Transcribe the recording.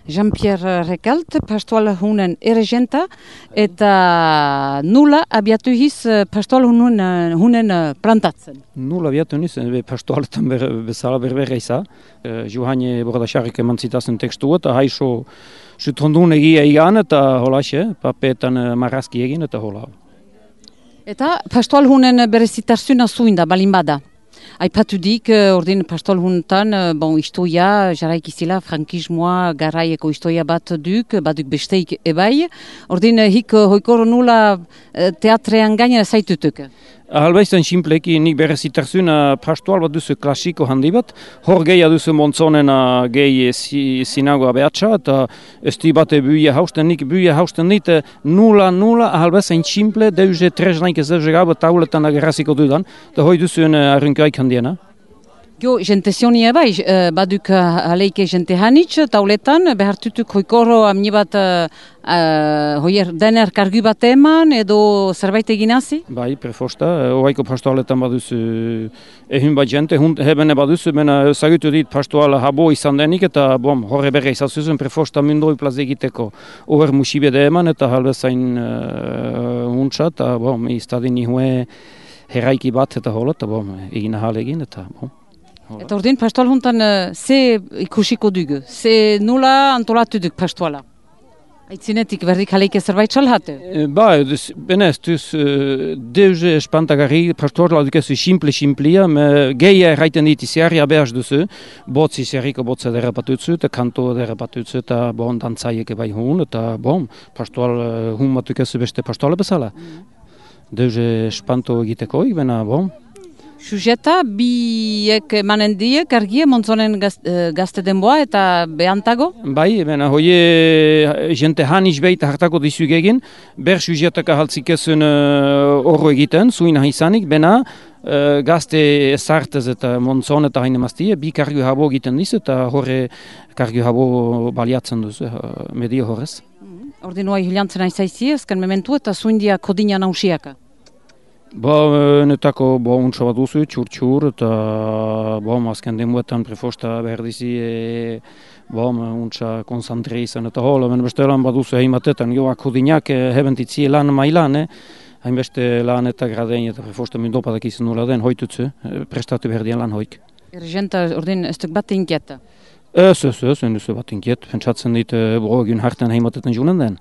Jean-Pierre Recalt, pastoal hunen erregenta, eta nula abiatu hiz pastoal hunen plantatzen. Nula abiatu niz, pastoaletan bezala berbera iza. Juhane Bordasarrik eman zitazen tekstua, eta haixo zutondun egia egan, eta holaxe, papetan marrazki egin, eta hola. Eta pastoal hunen berezitarzuna zuin da, balin bada. Aipatu dik, ordin pastoal hunetan, istoia, jaraik izila, frankismoa, garaieko istoia bat baduk besteik ebai. Ordin, hik hoikor nula teatrean gainera zaitutuk. Ahalbaizan simpleki nik berezitarzuna pastoal bat duzu klasiko handi bat, hor gehiago duzu montzonena gehi sinagoa behatsa, eta esti bate buia hausten, nik buia hausten dit, nula, ahalbaizan simple, deuze treznaik ez deuze gau, tauletan agerraziko dudan, eta hoi duzuen arrunkaik handiena. Jo, jente zionia bai, baduk aleike jente hanitz, tauletan, behartutuk hoikoro amni bat hoier dener kargu bat eman, edo zerbait eginazi? Bai, prefosta, oaiko pastoaletan baduzu ehun bat jente, hebene baduzu, mena zagutu dit pastoala habo izan denik, eta horre berre izazuzen prefosta mundoi plaz egiteko over musibede eman, eta halbezain untsa, eta iztadin nihue herraiki bat, eta hola, eta egin ahal egin, eta Eta ordin, pastoal huntan ze ikusiko dugu? Ze nula antolatu duk pastoala? Aitzinetik berdik aleike zerbait salhate? Benez, deuze espantagarri, pastoala dukezu simple-simplia, geia erraiten dit iziarria behaz duzu, botz iziarriko botza derrapatutzu, eta kanto derrapatutzu, eta dantzaieke bai hun, eta pastoal hun batukezu beste pastoala bezala. Deuze espanto egiteko, bena, Sujeta, biek emanen diek argie montzonen gazte denboa eta behantago? Bai, hoie jente haniz behita hartako dizuk egin, ber sujetaka haltzik ezun horro egiten, zuin ahizanik, bena gazte ezartez eta montzon eta haine maztie, bi kargu habo egiten diz eta horre kargu habo baliatzen duzu, medio horrez. Ordinua hilantzen aizaizi, ezken mementu eta zuindia kodina nausiaka? Netako untsa bat duzu, txur, eta azken denbuetan prefosta behar dizi untsa konsantre izan, eta hola, bestelan bat duzu egin batetan, joak hodinak hebentitzi lan mailan, hainbeste lan eta gradein eta prefosta mindopadak izan nula den, hoitutzu, prestatu behar dian lan hoik. Erregenta, ordin, ez duk bat inkieta? Ez duzu bat inkiet, pentsatzen dit, egun hartan heimatetan junen den.